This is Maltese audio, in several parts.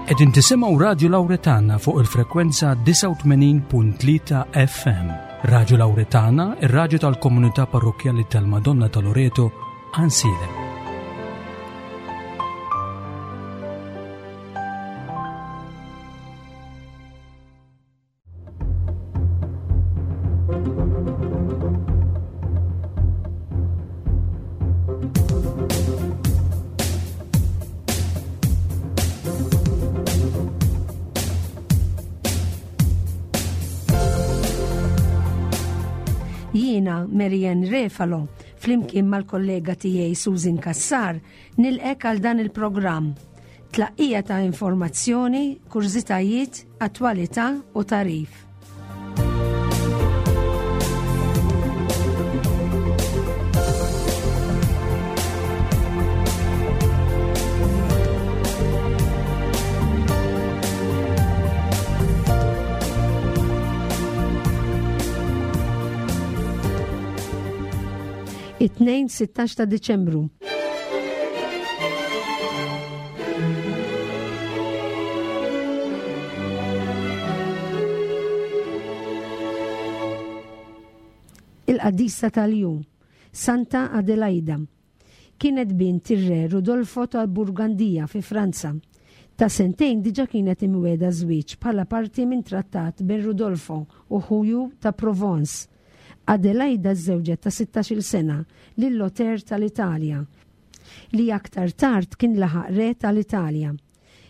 Qegħdin tisimgħu Radju Lawretana fuq il-frekwenza 89.3 FM. Radju Lawretana, ir-radju tal-komunità parrokkjali tal-Madonna ta' Loreto, Ansilem. Jiena Marianne Refalo, flimkien mal-kollega tiegħi Susan Kassar, nilqek għal dan il-programm. Tlaqqija ta' informazzjoni, kurżitajiet, attwalità u tagħrif. It-Tnejn 16 ta' Diċembru. Il-qaddisa tal-jum, Santa Adelaida, kienet bint ir-re Rudolfo ta' Burgandija fi Franza. Ta' sentejn diġa kienet imwiegħda żwieġ bħala parti minn trattat bejn Rudolfo u ħuju ta' Provence. Adelaida żżewġet ta' sittax-il sena lil Lothair tal-Italja, li aktar tard kien laħaq re tal-Italja.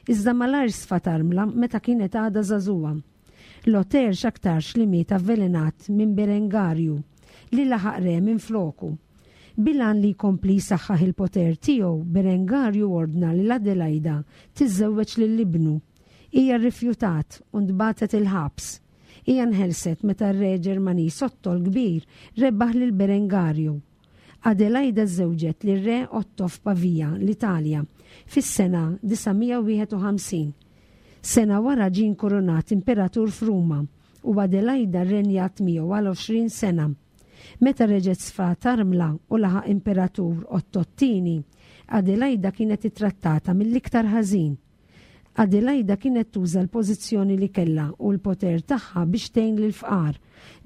Iżda malajr sfat armla meta kienet għadha żagħżugħa. Lothair x'aktarx li miet avvelenat minn Berengarju, li laħaq re minfloku. Bil-għan li jkompli jsaħħaħ il-poter tiegħu, Berengarju ordna lil Adelaida tiżżewweġ lil ibnu. Hija rrifjutat u ntbagħtet il-ħabs. Hija nħelset meta r-re Ġermaniż Otto l-Kbir rebaħ lil Berengarju. Adelaida żżewġet lir-re Otto f'Pavia, l-Italja, fis-sena 951. Sena wara ġie inkurunat imperatur f'Ruma u Adelaida rrenjat miegħu għal 20 sena. Meta reġgħet sfat armla u laħaq imperatur Otto t-Tieni, Adelaida kienet ittrattata mill-iktar ħażin. Adelaida kienet tuża l-pożizzjoni li kellha u l-poter tagħha biex tgħin lill-fqar,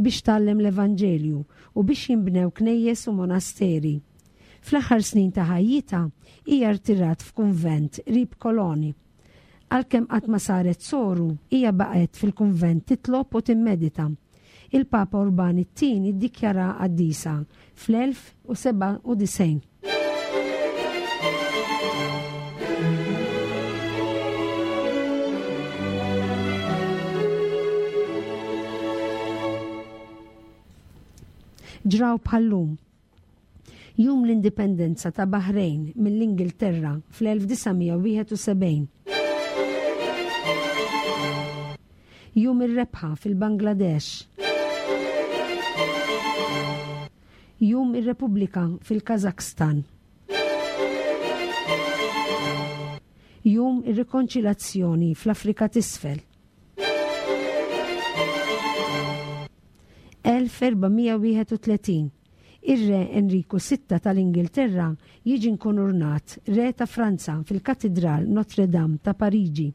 biex tgħallem l-Evanġelju, u biex jinbnew knejjes u monasteri. Fl-aħħar snin ta' ħajjitha, hija rtirat f'kunvent qrib Cologne. Għalkemm qatt ma saret soru, hija baqgħet fil-kunvent titlob u timmedita. Il-Papa Urban it-Tieni ddikjaraha qaddisa fl-1097. Ġraw bħal-lum. Jum l-Indipendenza ta' Baħrejn mill-Ingilterra fl-1971. Jum ir-rebħa fil-Bangladesh. Jum ir-Repubblika fil-Każakstan. Jum ir-Rikonċilazzjoni fl-Afrika t'Isfel. 1431 Ir-Re Enriku Sitta tal-Ingilterra jiġi nkunurnat Re ta' Franza fil-Katidral Notre Dame ta' Pariġi.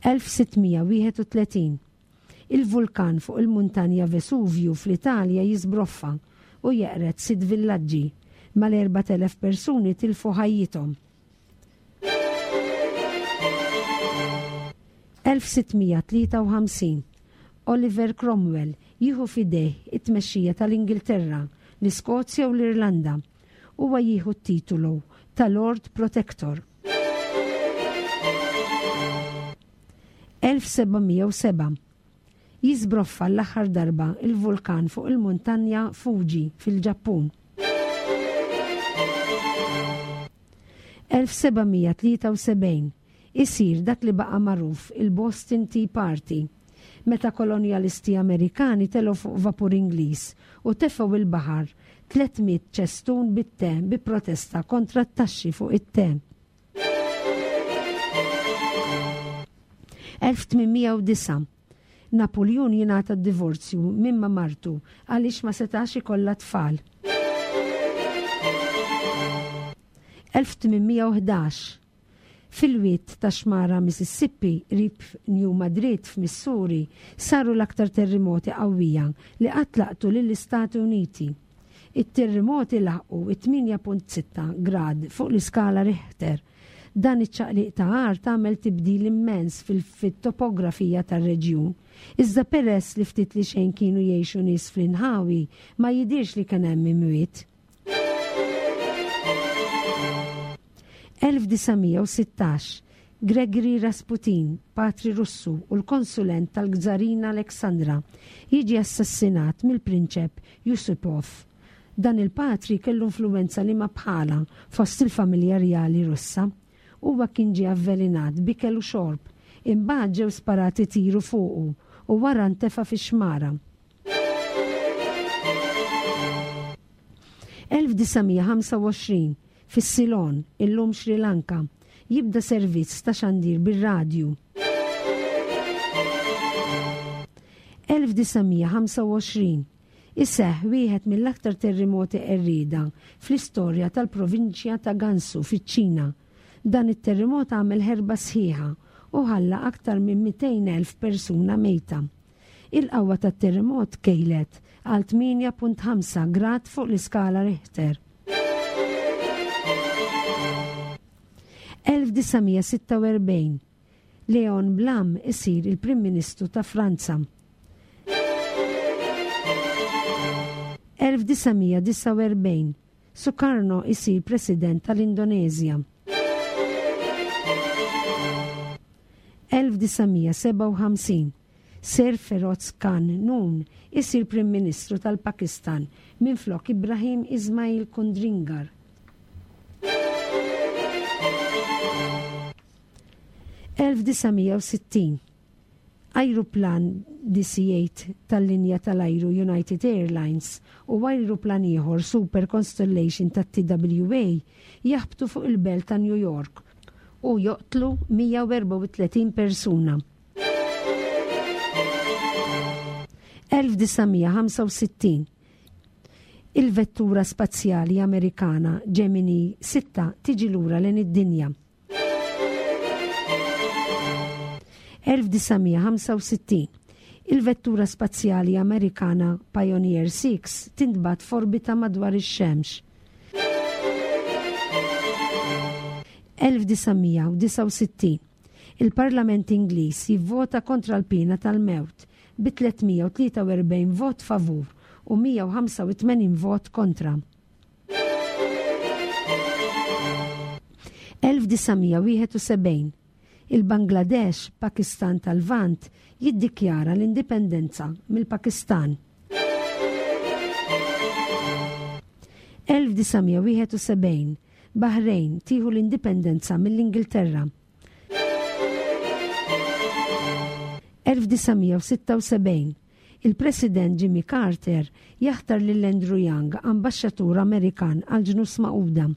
1631 Il-vulkan fuq il-muntanja Vesuvju fl-Italja jiżbroffa u jeqred sitt villaġġi. Mal-4,000 persuni tilfu ħajjithom. 1653 Oliver Cromwell jieħu f'idejh it-tmexxija tal-Ingilterra, l-Iskozja u l-Irlanda. Huwa jieħu t-titolu ta' Lord Protector. 1707 Jiżbroffa l-aħħar darba l-vulkan fuq il-muntanja Fuji fil-Ġappun. 1773 Isir dak li baqa' magħruf il-Boston Tea Party, meta kolonjalisti Amerikani telgħu fuq vapur Ingliż u tefgħu il-baħar 300 ċestun bit-te bi protesta kontra t-taxxi fuq it-te. 1809 Napuljun jingħata d-divorzju minn ma' martu għaliex ma setax ikollha tfal. 1811, Fil-wied tax-xmara Mississippi qrib New Madrid f'Missouri saru l-aktar terrimoti qawwija li qatt laqtu lill-Istati Uniti. It-terrimoti laħqu it-8.6 grad fuq l-iskala Richter. Dan iċ-ċaqliq ta' art għamel tibdil immens fit-topografija tar-reġjun. Iżda peress li ftit li xejn kienu jgħixu nies fl-inħawi, ma jidhirx li kien hemm imwiet. 1916, Gregory Rasputin, patri Russu u l-konsulent tal-Gżarina Alexandra, jiġi assassinat mill-Prinċep Yusupov. Dan il-patri kellu influwenza liema bħalha fost il-familja rjali Russa. Huwa kien ġie avvelenat b'ikel u xorb, imbagħad ġew sparati tiru fuqu u wara ntefa' fix-xmara. 1925, Fis-Ceylon, illum Sri Lanka, jibda servizz ta' xandir bir-radju. 1925, Iseħħ wieħed mill-aktar terrimoti qerrieda fl-istorja tal-provinċja ta' Gansu fiċ-Ċina. Dan it-terrimot għamel ħerba sħiħa u ħalla aktar minn 200,000 persuna mejta. Il-qawwa tat-terremot tkejlet għal 8.5 grad fuq l-iskala Richter. 1946, Léon Blum isir il-Prim Ministru ta' Franza. 1949, Sukarno isir President tal-Indoneżja. 1957, Sir Feroz Khan Noon isir Prim Ministru tal-Pakistan minflok Ibrahim Ismail Kundringar. 1960, Ajruplan DC-8 tal-linja tal-ajru United Airlines u ajruplan ieħor Super Constellation tat-TWA jaħbtu fuq il-belt ta' New York u joqtlu 134 persuna. 1965 Il-vettura spazjali Amerikana Gemini 6 tiġi lura lejn id-dinja. 1965 Il-vettura spazjali Amerikana Pioneer 6 tintbagħat f'orbita madwar ix-Xemx. 1969 Il-Parlament Ingliż jivvota kontra l-piena tal-mewt bi 343 vot favur u 185 vot kontra. 1971 Il-Bangladesh, Pakistan tal-Lvant, jiddikjara l-indipendenza mill-Pakistan. 1971 Bahrain tieħu l-indipendenza mill-Ingilterra. 1976 Il-President Jimmy Carter jaħtar lil Andrew Young ambaxxatur Amerikan għall-Ġnus Magħquda.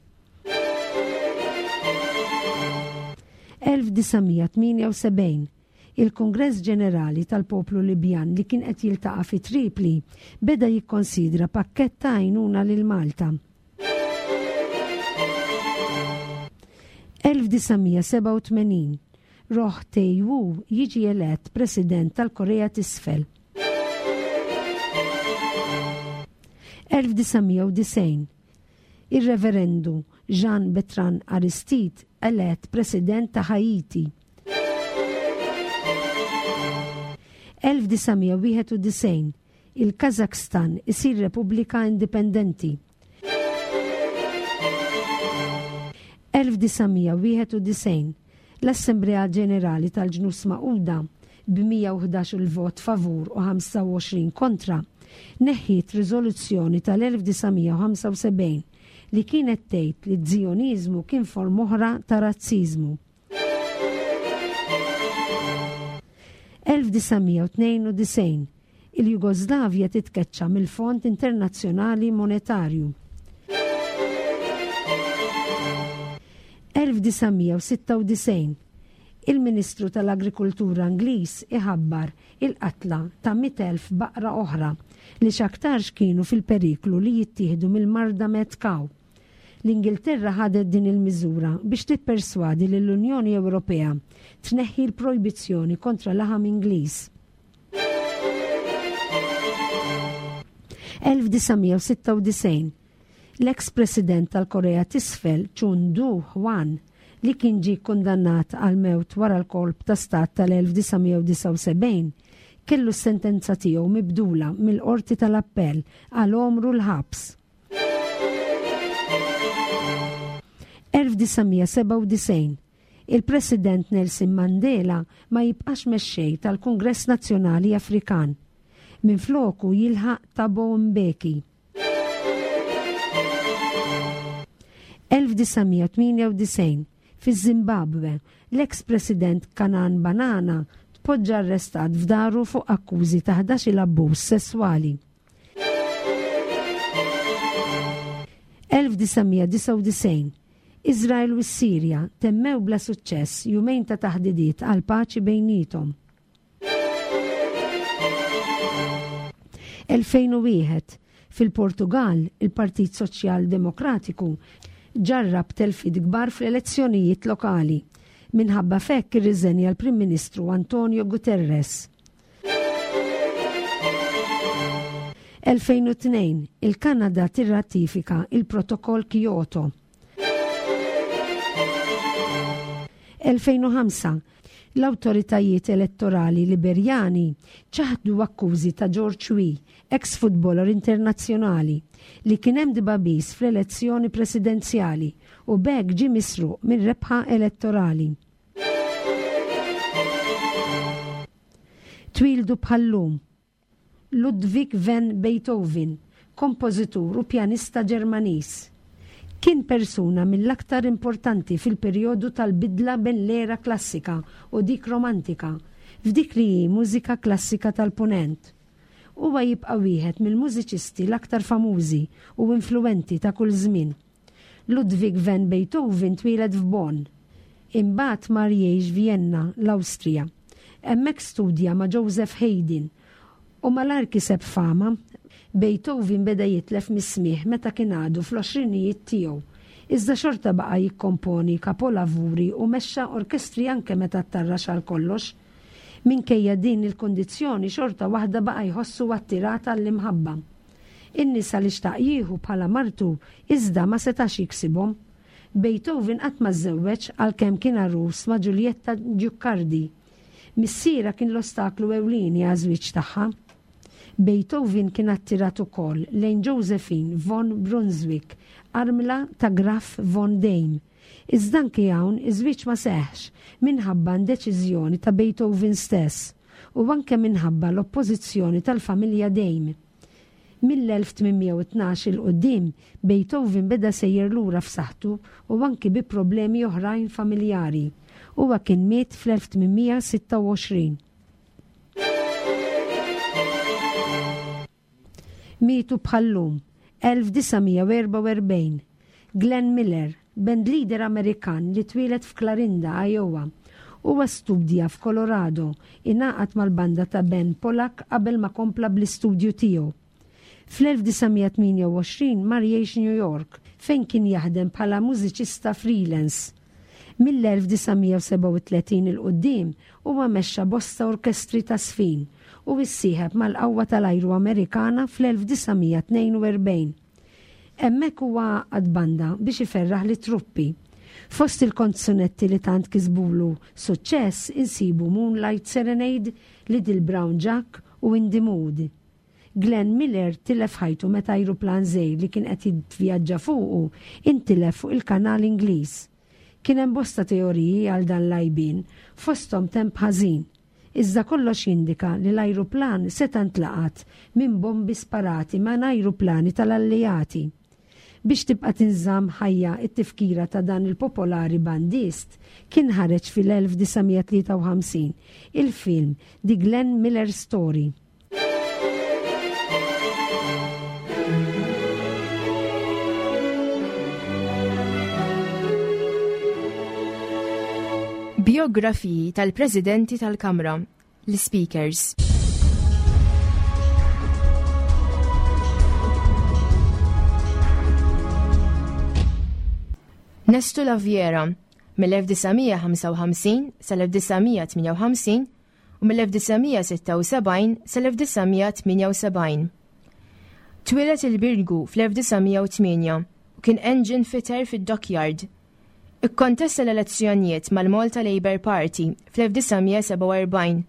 1978 Il-Kungress Ġenerali tal-Poplu Libjan li kien qed jiltaqa' fi Tripli beda jikkonsidra pakkett ta' għajnuna lil Malta. 1987 Roh Tae-woo jiġi elett President tal-Korea t'Isfel. 1990 Ir-Reverendu Jean Bertrand Aristide elett President ta' Haiti. 1991 Il-Kazakhstan isir repubblika indipendenti. 1991, L-Assemblea Ġenerali tal-Ġnus Magħquda, b'111-il vot favur u 25 kontra, neħħiet riżoluzzjoni tal-1975 li kienet tgħid li z-Zijoniżmu kien forma oħra ta' razziżmu. 1992, Il-Jugoslavja titkeċċa mill-Fond Internazzjonali Monetarju. 1996, Il-Ministru tal-Agrikultura Ingliż iħabbar il-qatla ta' 100,000 baqra oħra li x'aktarx kienu fil-periklu li jittieħdu mill-marda mad cow. L-Ingilterra ħadet din il-miżura biex tipperswadi lill-Unjoni Ewropea tneħħi l-projbizzjoni kontra laħam Ingliż. 1996 L-eks President tal-Korea t'Isfel Chun Doo-hwan li kien ġie kkundannat għall-mewt wara l-kolp ta' stat tal-1979, kellu s-sentenza tiegħu mibdula mill-Qorti tal-Appell għal għomru l-ħabs. 1997 Il-President Nelson Mandela ma jibqax mexxej tal-Kungress Nazzjonali Afrikan. Minfloku jilħaq Thabo Mbeki. 1998 Fiż-Żimbabwe, l-eks President Canaan Banana tpoġġa arrestat f'daru fuq akkużi ta' ħdax-il abbuż sesswali. 1999 Iżrael u s-Sirja temmew bla suċċess jumejn ta' taħdidiet għall-paċi bejniethom. 2001, Fil-Portugall, il-Partit Soċjal Demokratiku ġarrab telfiet kbar fl-elezzjonijiet lokali. Minħabba f'hekk irriżenja l-Prim Ministru Antonio Guterres. 2002, Il-Kanada tirratifika il-Protokoll Kyoto. 2005, L-awtoritajiet elettorali Liberjani ċaħdu akkużi ta' George Weah, eks futboler internazzjonali, li kien hemm dibagħbis fl-elezzjoni presidenzjali u b'hekk ġie misruq minn rebħa elettorali. Twieldu bħal-lum. Ludwig van Beethoven, kompożitur u pjanista Ġermaniż. Kien persuna mill-aktar importanti fil-perjodu tal-bidla bejn l-era klassika u dik romantika, f'dik li hi mużika klassika tal-Punent. Huwa jibqa' wieħed mill-mużiċisti l-aktar famużi u influwenti ta' kull żmien. Ludwig van Beethoven twieled f'Bonn. Imbagħad mar jgħix Vjenna, l-Awstrija. Hemmhekk studja ma' Joseph Haydn u malajr kiseb fama. Beethoven beda jitlef mis-smigħ meta kien għadu fl-għoxrinijiet tiegħu, iżda xorta baqa' jikkomponi kapolavuri u mexxa orkestri anke meta ttarrax għal kollox. Minkejja din il-kundizzjoni xorta waħda baqa' jħossu attirat għall-imħabba. In-nisa li xtaq jieħu bħala martu iżda ma setax jiksibhom. Beethoven qatt ma żżewweġ għalkemm kien għarus ma' Giulietta Giuccardi. Missierha kien l-ostaklu ewlieni għaż-żwieġ tagħha. Beethoven kien attirat ukoll lejn Josephine von Brunswick, armla ta' Graf von Deym. Iżda anki hawn iż-żwieġ ma seħħx minħabba indeċiżjoni ta' Beethoven stess u anke minħabba l-oppożizzjoni tal-familja Deym. Mill-1812 'il quddiem, Beethoven beda sejjer lura f'saħħtu u anki bi problemi oħrajn familjari. Huwa kien miet fl-1826. Mietu bħal-lum, 1944, Glenn Miller, bandleader Amerikan li twieled f'Clarinda, Iowa. Huwa studja f'Colorado, ingħaqad mal-banda ta' Ben Pollack qabel ma kompla bl-istudju tiegħu. Fl-1928 mar jgħix New York, fejn kien jaħdem bħala mużiċista freelance. Mill-1937 'il quddiem huwa mexxa bosta orkestri ta' żfin u issieħeb mal-Qawwa tal-Ajru Amerikana fl-1942. Hemmhekk huwa għaqqad banda biex iferraħ lit-truppi. Fost il-konzunetti li tant kisbulu suċċess insibu Moonlight Serenade, Little Brown Jack u In the Mood. Glenn Miller tilef ħajtu meta ajruplan żgħir li kien qed jivvjaġġa fuqu intilef fuq il-Kanal Ingliż. Kien hemm bosta teoriji għal dan l-għajbien, fosthom temp ħażin. Iżda kollox jindika li l-ajruplan seta' ntlaqat minn bombi sparati minn ajruplani tal-Alleati. Biex tibqa' tinżamm ħajja t-tifkira ta' dan il-popolari bandist, kien ħareġ fil-1953 il-film The Glenn Miller Story. Biografiji tal-Presidenti tal-Kamra, l-Speakers. Nestu Laviera, mill-1955 sal-1958 u mill-1976 sal-1978. Twieled il-Birgu fl-1908 u kien engine fitter fid-Dockyard. Ikkontesta l-elezzjonijiet mal-Malta Labour Party fl-1947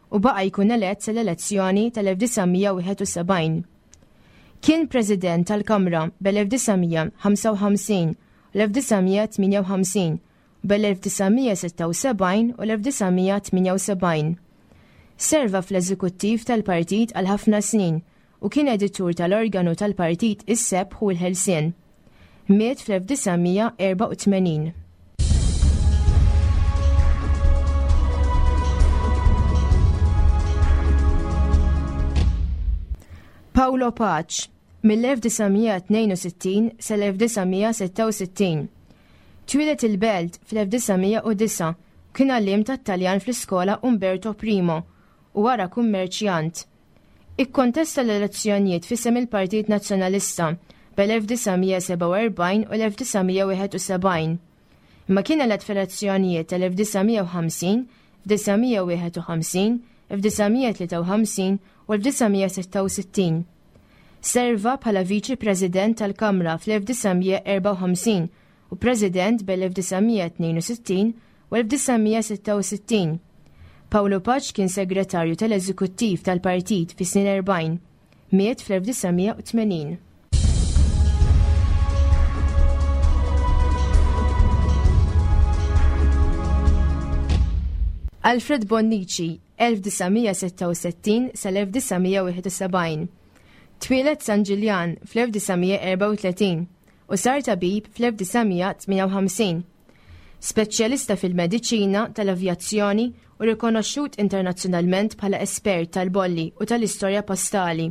u baqa' jkun elett sal-elezzjoni tal-1971. Kien President tal-Kamra bel-1955 u l-1958 u bel-1976 u l-1978. Serva fl-eżekuttiv tal-partit għal ħafna snin u kien editur tal-organu tal-partit Is-Sebħ u l-Ħelsien. Miet fl-1984. Paolo Pace, mill-1962 sal-1966. Twieled il-Belt fl-1909 u kien għalliem tat-Taljan fl-iskola Umberto Primo u wara kummerċjant. Ikkontesta l-elezzjonijiet f'isem il-Partit Nazzjonalista bel-1947 u l-1971. Imma kien elett fl-elezzjonijiet tal-1950, 1951, 1953 u 1966. Serva bħala Viċi President tal-Kamra fl-1954 u President bel-1962 u 1966. Paolo Pace kien segretarju tal-eżekuttiv tal-partit fis-snin 40. Miet fl-1980. Alfred Bonnici, 1966 sal-1971. Twieled San Ġiljan fl-1934 u sar tabib fl-1958. Speċjalista fil-mediċina tal-avjazzjoni u rikonoxxut internazzjonalment bħala espert tal-bolli u tal-istorja postali.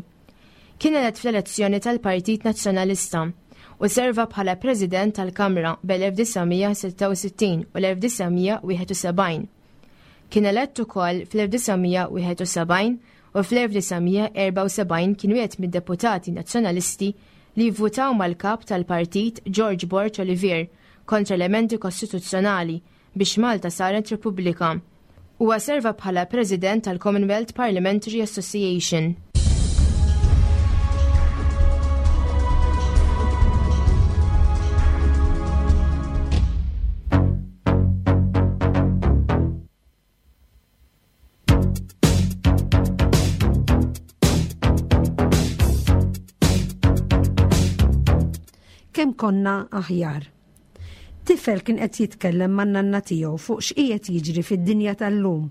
Kien elett fl-elezzjoni tal-Partit Nazzjonalista u serva bħala President tal-Kamra bel-1966 u l-1971. Kien elett ukoll fl-1971 u fl-1974 kien wieħed mid-deputati Nazzjonalisti li vvutaw mal-kap tal-partit George Borg Olivier kontra l-emendi kostituzzjonali biex Malta saret Repubblika. Huwa serva bħala President tal-Commonwealth Parliamentary Association. Kemm konna aħjar. Tifel kien qed jitkellem man-nanna tiegħu fuq x'qiegħed jiġri fid-dinja tal-lum.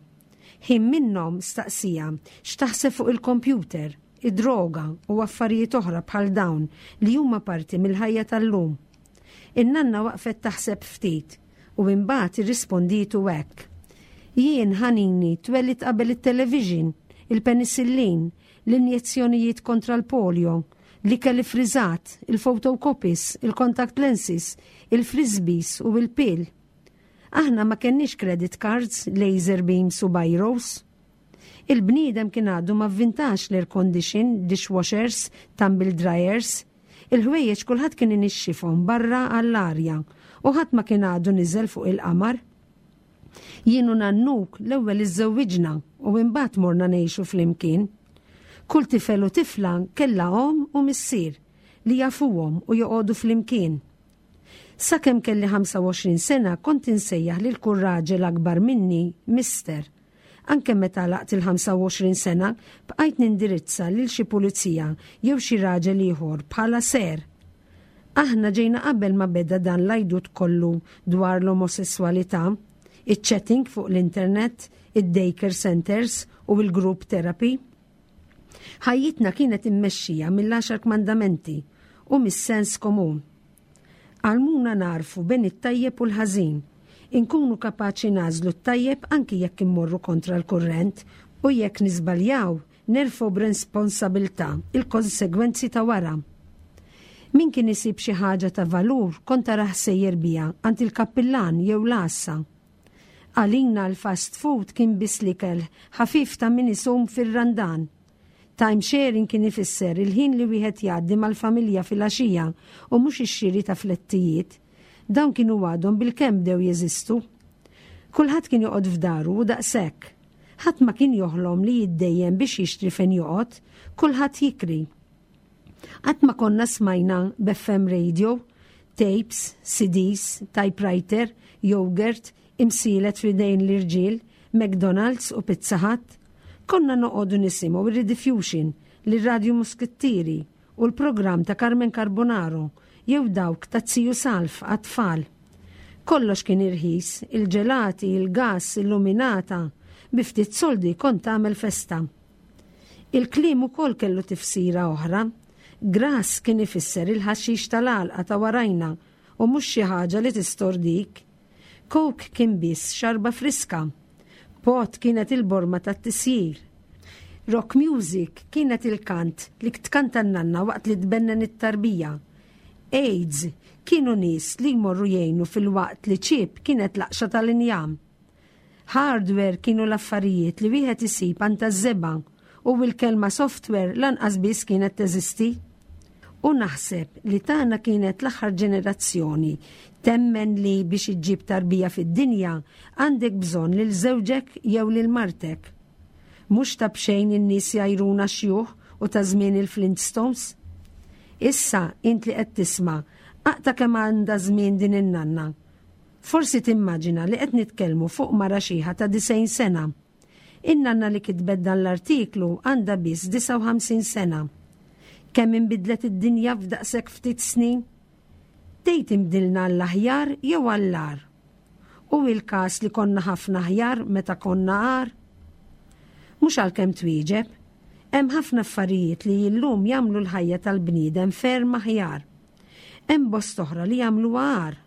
Ħin minnhom staqsija x'taħseb fuq il-kompjuter, id-droga u affarijiet oħra bħal dawn li huma parti mill-ħajja tal-lum. In-nanna waqfet taħseb ftit u imbagħad irrispondietu hekk. Jien ħanini twelidt qabel it-television, il-penicillin, l-injezzjonijiet kontra l-polio, l-ikel iffriżat, il-photocopies, il-contact lenses, il-frisbees u il-pill. Aħna ma kenniex credit cards, laser beams u biros. Il-bniedem kien għadu ma vvintax l-air condition, dishwashers, tumble dryers. Il-ħwejjeġ kulħadd kien inixxifhom barra għall-arja u ħadd ma kien għadu niżel fuq il-qamar. Jien u nannuk l-ewwel iżżewwiġna u imbagħad morna ngħixu flimkien. Kull tifel u tifla kellha omm u missier li jafuhom u joqogħdu flimkien. Sakemm kelli 25 sena kont insejjaħ lil kull raġel akbar minni Mister. Anke meta għalaqt il-25 sena, bqajt nindirizza lil xi pulizija jew xi raġel ieħor bħala Sir. Aħna ġejna qabel ma beda dan l-għajdut kollu dwar l-omosesswalità, iċ-chatting fuq l-internet, id-daycare centers u l-group therapy. Ħajjitna kienet immexxija mill-Għaxar Kmandamenti u mis-sens komun. Għallmuna nagħrfu bejn it-tajjeb u l-ħażin, inkunu kapaċi nagħżlu t-tajjeb anki jekk immorru kontra l-kurrent u jekk niżbaljaw, nerfgħu b'responsabilità l-konsegwenzi ta' wara. Min kien isib xi ħaġa ta' valur kont tarah sejjer biha għand il-kappillan jew l-għassa. Għalina l-fast food kien biss l-ikel ħafif ta' min isum fir-Randan. Time sharing kien ifisser il-ħin li wieħed jgħaddi mal-familja filgħaxija u mhux ix-xiri ta' flettijiet. Dawn kienu għadhom bilkemm bdew jeżistu. Kulħadd kien joqgħod f'daru u daqshekk. Ħadd ma kien joħlom li jiddejjen biex jixtri fejn joqgħod, kulħadd jikri. Qatt ma konna smajna b'FM radio, tapes, CDs, typewriter, yogurt, imsielet f'idejn l-irġiel, McDonald's u Pizza Hut. Konna noqogħdu nisimgħu ir-Rediffusion, lir-Radju Muskittieri u l-programm ta' Carmen Carbonaro jew dawk ta' Ziju Salv għat-tfal. Kollox kien irħis, il-ġelati, il-gass, illuminata, bi ftit soldi kont tagħmel festa. Il-kliem ukoll kellu tifsira oħra. Grass kien ifisser il-ħaxix tal-għalqa ta' warajna u mhux xi ħaġa li tistordik. Coke kien biss xarba friska. Pot kienet il-borma tat-tisjir. Rock music kienet il-kant li tkanta n-nanna waqt li tbennen it-tarbija. AIDS kienu nies li jmorru jgħinu filwaqt li chip kienet laqxa tal-injam. Hardware kienu l-affarijiet li wieħed isib għand taż-żebgħa u l-kelma software lanqas biss kienet teżisti. U naħseb li tagħna kienet l-aħħar ġenerazzjoni temmen li biex iġġib tarbija fid-dinja għandek bżonn lil żewġek jew lil martek. Mhux ta' b'xejn in-nies jgħajruna xjuħ u ta' żmien il-Flintstones. Issa int li qed tisma' aqta' kemm għandha żmien din in-nanna. Forsi timmaġina li qed nitkellmu fuq mara xiħa ta' 90 sena. In-nanna li kitbet dan l-artiklu għandha biss 59 sena. Kemm inbidlet id-dinja f'daqshekk ftit snin? Tgħid inbdilna għall-aħjar jew għall-agħar? Hu il-każ li konna ħafna aħjar meta konna agħar? Mhux għalkemm twieġeb. Hemm ħafna affarijiet li illum jagħmlu l-ħajja tal-bniedem ferm aħjar. Hemm bosta oħra li jagħmluha agħar.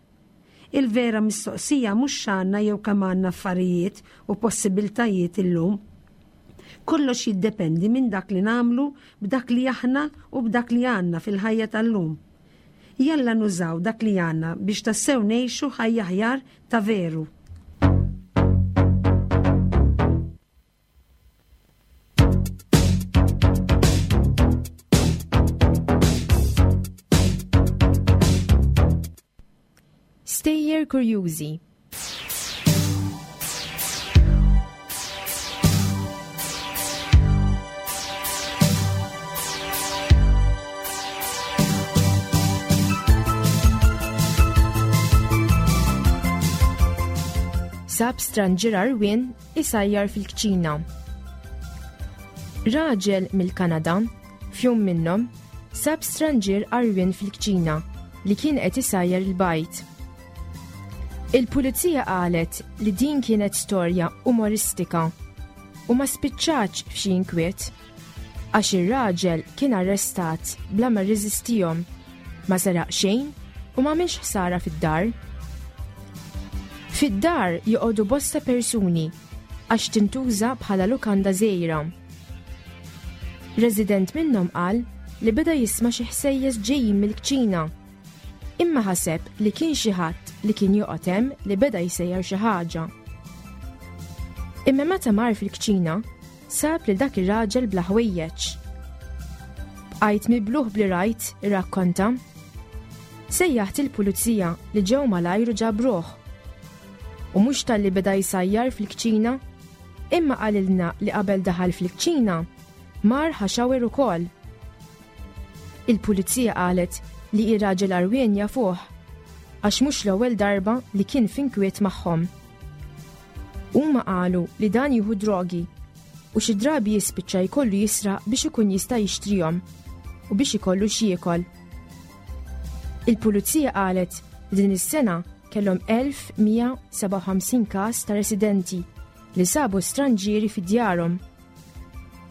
Il-vera mistoqsija mhux x'għandna jew kemm għandna affarijiet u possibiltajiet illum. Kollox jiddependi minn dak li nagħmlu b'dak li aħna u b'dak li għandna fil-ħajja tal-lum. Jalla nużaw dak li għandna biex tassew ngħixu ħajja aħjar ta' veru. Stejjer kurjużi. Sab stranġier għarwien isajjar fil-kċina. Raġel mill-Kanada, f'jum minnhom, sab stranġier għarwien fil-kċina li kien qed isajjar il-bajd. Il-pulizija qalet li din kienet storja umoristika u ma spiċċatx f'xi inkwiet. Għax ir-raġel kien arrestat bla ma rreżistihom, ma seraq xejn u m'għamilx ħsara fid-dar. Fid-dar joqogħdu bosta persuni għax tintuża bħala lukanda żgħira. Resident minnhom qal li beda jisma' xi ħsejjes ġejjin mill-kċina. Imma ħaseb li kien xi ħadd li kien joqgħod hemm li beda jsejjer xi ħaġa. Imma meta mar fil-kċina, Sab lil dak ir-raġel bla ħwejjeġ. Bqajt mibluh bli rajt, irrakkonta. Sejjaħt il-pulizija li ġew malajr u ġabruh. U mhux talli beda jsajjar fil-kċina, imma qalilna li qabel daħal fil-kċina, mar ħa shower ukoll. Il-pulizija qalet li ir-raġel għarwien jafuh, għax mhux l-ewwel darba li kien f'inkwiet magħhom. Huma qalu li dan jieħu drogi u xi drabi jispiċċa jkollu jisraq biex ikun jista' jixtrihom u biex ikollu x'jiekol. Il-pulizija qalet li din is-sena kellhom 1157 każ ta' residenti li sabu stranġieri fi djarhom.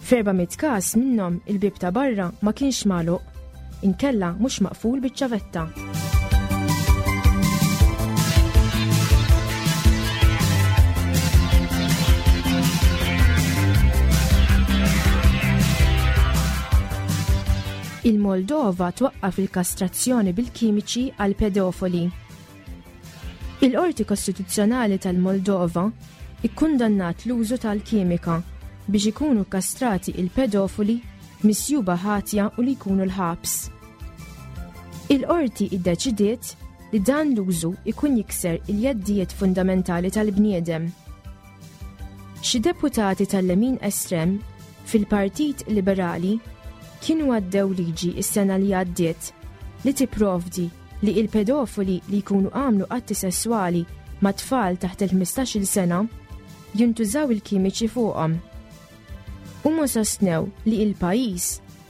F'400 każ minnhom il-bieb ta' barra ma kienx magħluq, inkella mhux maqful biċ-ċavetta. Il-Moldova twaqqaf il-kastrazzjoni bil-kimiċi għal pedofoli. Il-Qorti Kostituzzjonali tal-Moldova ikkundannat l-użu tal-kimika biex ikunu kkastrati il-pedofoli misjuba ħatja u li jkunu l-ħabs. Il-qorti iddeċidiet li dan l-użu ikun jikser il-jeddijiet fundamentali tal-bniedem. Xi deputati tal-lemin estrem fil-Partit Liberali kienu għaddew liġi s-sena li għaddiet li tipprovdi li il-pedofili li jkunu għamlu atti sesswali ma' tfal taħt il-15-il sena jintużaw il-kimiċi fuqhom. Huma sostnew li il-pajjiż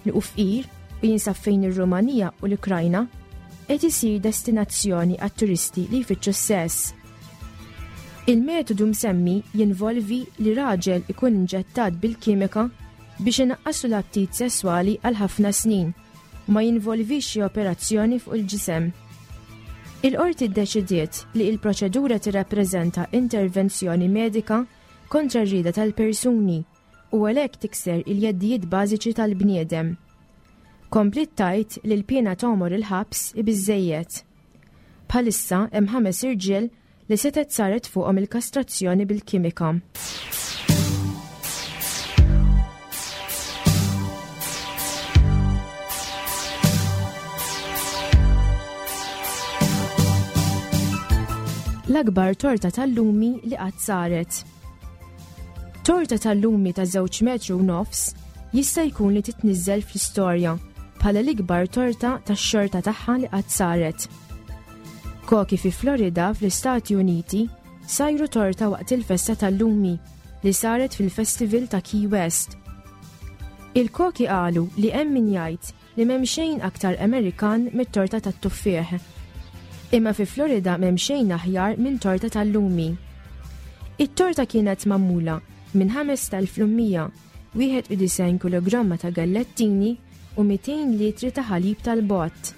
li hu fqir u jinsab fejn ir-Rumanija u l-Ukrajna qed isir destinazzjoni għat-turisti li jfittxu s-sess. Il-metodu msemmi jinvolvi li raġel ikun inġettat bil-kimika biex inaqqaslu l-aptit sesswali għal ħafna snin u ma jinvolvix xi operazzjoni fuq il-ġisem. Il-qorti ddeċidiet li il-proċedura tirrappreżenta intervenzjoni medika kontra r-rieda tal-persuni u għalhekk tikser il-jeddijiet bażiċi tal-bniedem. Kompliet tgħid li l-piena t'għomor il-ħabs hi biżżejjed. Bħalissa hemm ħames irġiel li setgħet saret fuqhom il-kastrazzjoni bil-kimika. L-akbar torta tal-lumi li qatt saret. Torta tal-lumi ta' żewġ metru u nofs jista' jkun li titniżżel fl-istorja bħala l-ikbar torta tax-xorta tagħha li qatt saret. Koki fi Florida fl-Istati Uniti sajru torta waqt il-festa tal-lumi li saret fil-festival ta' Key West. Il-koki qalu li hemm min jgħid li m'hemm xejn aktar Amerikan mit-torta tat-tuffieħ. Imma fi Florida m'hemm xejn aħjar minn torta tal-lumi. It-torta kienet magħmula minn 5,100, 91 kilogramma ta' gallettini u 200 litri ta' ħalib tal-bott.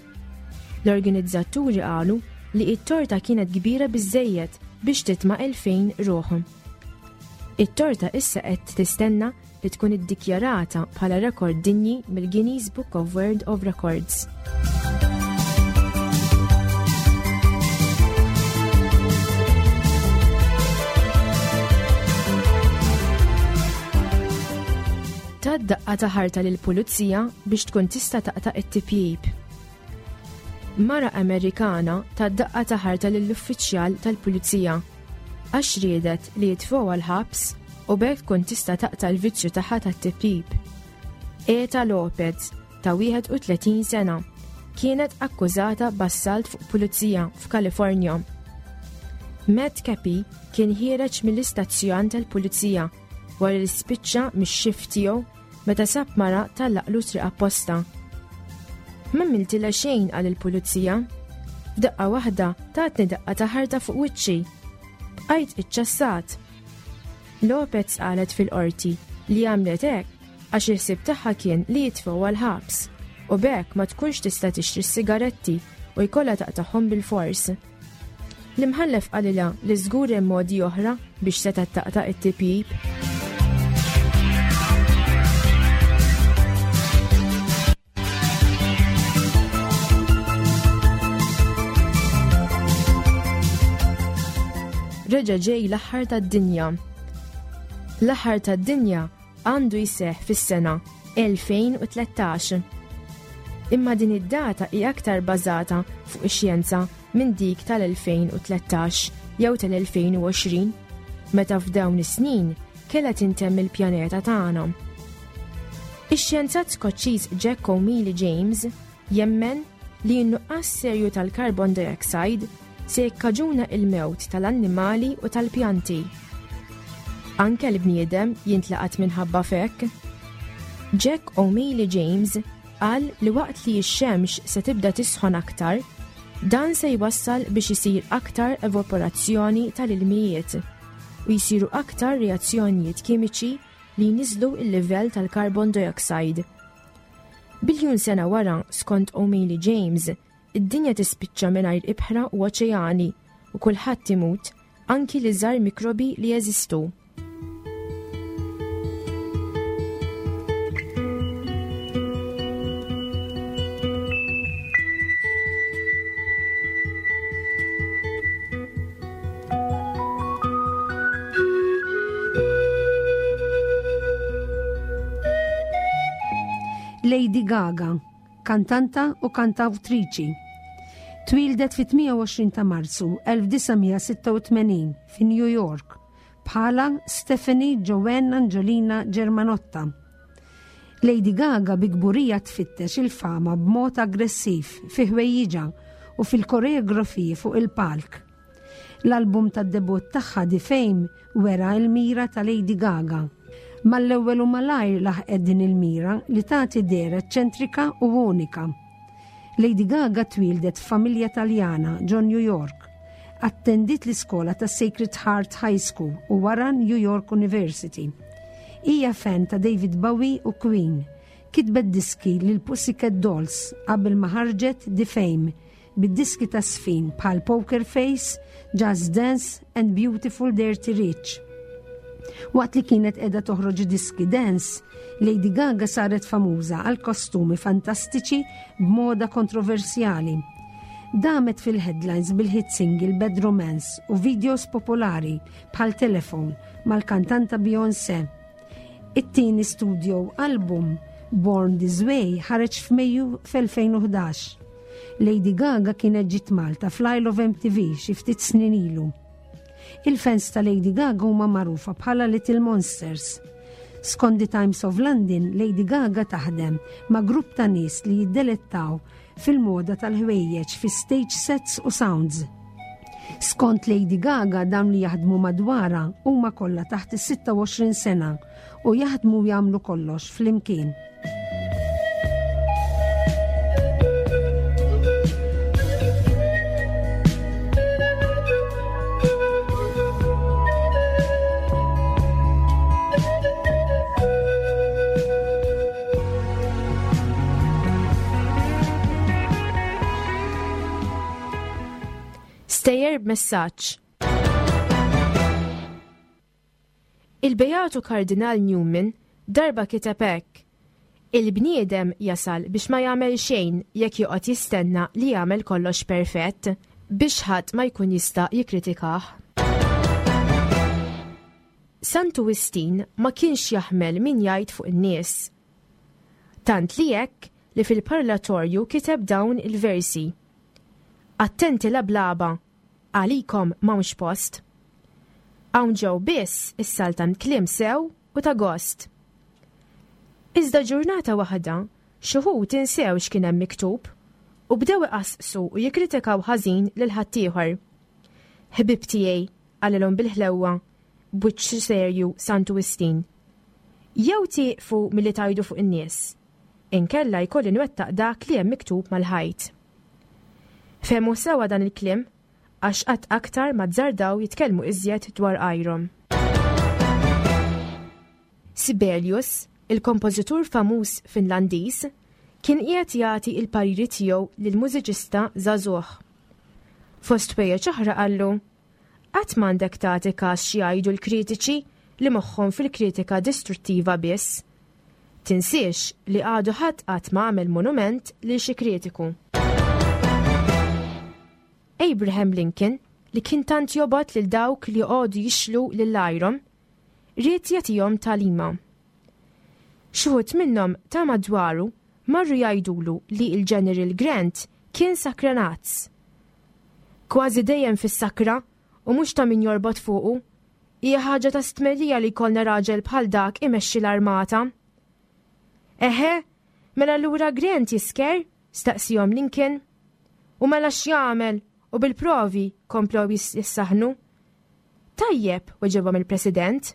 L-organizzaturi qalu li it-torta kienet kbira biżżejjed biex titma' 2000 ruħ. It-torta issa qed tistenna li tkun iddikjarata bħala rekord dinji mill-Guinness Book of World of Records. Ta' daqqa ta' ħarta lil pulizija biex tkun tista' taqta' it-tipjib. Mara Amerikana ta' daqqa ta' ħarta lill-uffiċjal tal-pulizija għax riedet li jitfgħuha l-ħabs u b'hekk tkun tista' taqta' l-vizzju tagħha tat-tipjip. Eta Lopez, ta' 31 sena, kienet akkużata b'assalt fuq pulizija f'Kalifornja. Matt Cappy kien ħiereġ mill-istazzjon tal-pulizija wara li spiċċa mix-xift tiegħu meta sab mara tallaqlu triq apposta. M'għamiltilha xejn qal il-pulizija. F'daqqa waħda tatni daqqa ta' ħarta fuq wiċċi. Bqajt iċċassat. Lopez qalet fil-qorti li għamlet hekk għax il-ħsieb tagħha kien li jitfgħuha l-ħabs u b'hekk ma tkunx tista' tixtri s-sigaretti u jkollha taqtagħhom bilfors. L-imħallef qalilha li żgur hemm modi oħra biex setgħet taqta' it-tipjip. Reġa' ġej l-aħħar tad-dinja. L-aħħar tad-dinja għandu jseħħ fis-sena 2013. Imma din id-data hi aktar bażata fuq ix-xjenza minn dik tal-2013 jew tal-2020, meta f'dawn is-snin kellha tintemm il-pjaneta tagħna. Ix-xjenzat Skoċċiż Jack O'Meally James jemmen li n-nuqqas serju tal-carbon dioxide se jikkaġuna il-mewt tal-annimali u tal-pjanti. Anke l-bniedem jintlaqat minħabba f'hekk. Jack O'Meally James qal li waqt li x-xemx se tibda tisħon aktar, dan se jwassal biex isir aktar evaporazzjoni tal-ilmijiet u jsiru aktar reazzjonijiet kimiċi li jniżżlu l-livell tal-carbon dioxide. Biljun sena wara, skont O'Meally James, id-dinja tispiċċa mingħajr ibħra u oċeani u kulħadd imut, anki l-iżgħar mikrobi li jeżistu. Lady Gaga, kantanta u kantawtriċi. Twieldet fit-28 ta' Marzu 1986 fi New York bħala Stephanie Joanne Angiolina Germanotta. Lady Gaga bi kburija tfittex il-fama b'mod aggressiv fi ħwejjiġha u fil-koreografiji fuq il-palk. L-album tad-debutt tagħha The Fame wera l-mira ta' Lady Gaga. Mal-ewwel u malajr laħqet din il-mira li tagħti dehra eċċentrika u unika. Lady Gaga twieldet f'familja Taljana ġo New York. Attendiet l-iskola ta' Sacred Heart High School u wara New York University. Hija fan ta' David Bowie u Queen. Kitbet diski lil Pussycat Dolls qabel ma ħarġet The Fame bid-diski ta' sfin bħal Poker Face, Just Dance and Beautiful Dirty Rich. Waqt li kienet qiegħda toħroġ diski dance, Lady Gaga saret famuża għal kostumi fantastiċi b'moda kontroversjali. Damet fil-headlines bil-hit single Bad Romance u videos popolari bħal Telephone mal-kantanta Beyoncé. It-tieni studio album Born This Way ħareġ f'Mejju f'2011. Lady Gaga kienet ġiet Malta fl-Isle of MTV xi ftit snin ilu. Il-fans ta' Lady Gaga huma magħrufa bħala Little Monsters. Skont The Times of London, Lady Gaga taħdem ma' grupp ta' nies li jiddelettaw fil-moda tal-ħwejjeġ fi stage sets u sounds. Skont Lady Gaga dawn li jaħdmu madwarha huma kollha taħt is-26 sena u jaħdmu u jagħmlu kollox flimkien. Stejjer b'messaġġ. Il-Beatu Kardinal Newman darba kiteb hekk, Il-bniedem jasal biex ma jagħmel xejn jekk joqgħod jistenna li jagħmel kollox perfett biex ħadd ma jkun jista' jikkritikah. Santu Wistin ma kienx jaħmel min jgħid fuq in-nies. Tant li hekk li fil-parlatorju kiteb dawn il-versi. Attenti lablaba, għalikom m'hawnx post. Hawn ġew biss issaltan kliem sew u ta' gost. Iżda ġurnata waħda, x'uħud insew x'kien hemm miktub u bdew iqasqsu u jikkritikaw ħażin lil ħaddieħor. Ħbieb tiegħi, qalilhom bil-ħlewwa, b'wiċċ serju Santu Wistin, jew tieqfu milli tgħidu fuq in-nies, inkella jkolli nwettaq dak li hemm miktub mal-ħajt. Fehmu sewwa dan il-kliem għax qatt aktar ma azzardaw jitkellmu iżjed dwar għajrhom. Sibelius, il-kompożitur famuż Finlandiż, kien qiegħed jagħti l-pariri tiegħu lil mużiċista żagħżugħ. Fost ħwejjeġ oħra qallu, Qatt m'għandek tagħti każ x'jgħidu l-kritiċi li moħħhom fil-kritika distruttiva biss. Tinsiex li għadu ħadd qatt ma għamel monument lil xi kritiku. Abraham Lincoln, li kien tant jobgħod lil dawk li joqogħdu jixlu lil għajrhom, ried jagħtihom tagħlima. Xi wħud minnhom ta' madwaru marru jgħidulu li l-General Grant kien sakranazz. Kważi dejjem fis-sakra u mhux ta' min jorbot fuqu. Hija ħaġa ta' stmerrija li jkollna raġel bħal dak imexxi l-armata. Eħe, mela allura Grant jisker? staqsihom Lincoln. U mela x'jagħmel? U bil-provi, komplew jissaħnu. Tajjeb, weġibhom il-President.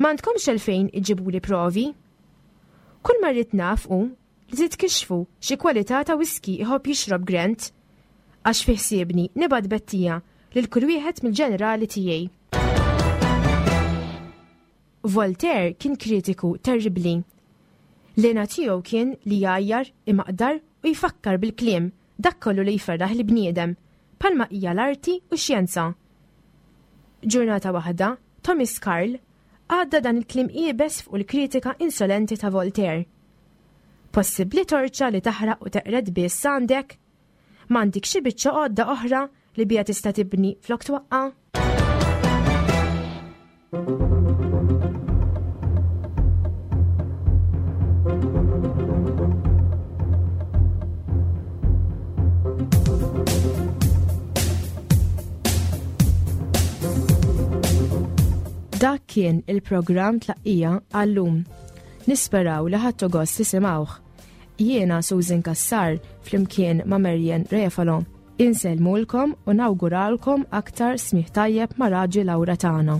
M'għandkomx għalfejn iġġibuli provi. Kull ma rrid naf hu li titkixxfu xi kwalità ta' whisky iħobb jixrob Grant, għax fi ħsiebni nibgħat bettija lil kull wieħed mill-ġenerali tiegħi. Voltaire kien kritiku terribbli. L-hena tiegħu kien li jgħajjar, imaqdar u jfakkar bil-kliem dak kollu li jferraħ il-bniedem, bħalma hija l-arti u x-xjenza. Ġurnata waħda, Thomas Carl għadda dan il-kliem iebes fuq il-kritika insolenti ta' Voltaire. Possibbli torċa li taħraq u teqred biss għandek? M'għandikx xi biċċa għodda oħra li biha tista' tibni flok twaqqa'? Dak kien il-programm tlaqqija għallum. Nisperaw li ħadtu gost tisimgħuh. Jiena Susan Cassar flimkien ma' Marian Refalo. Insellmulkom u nawguralkom aktar smigħ tajjeb ma' Raġi Laura tagħna.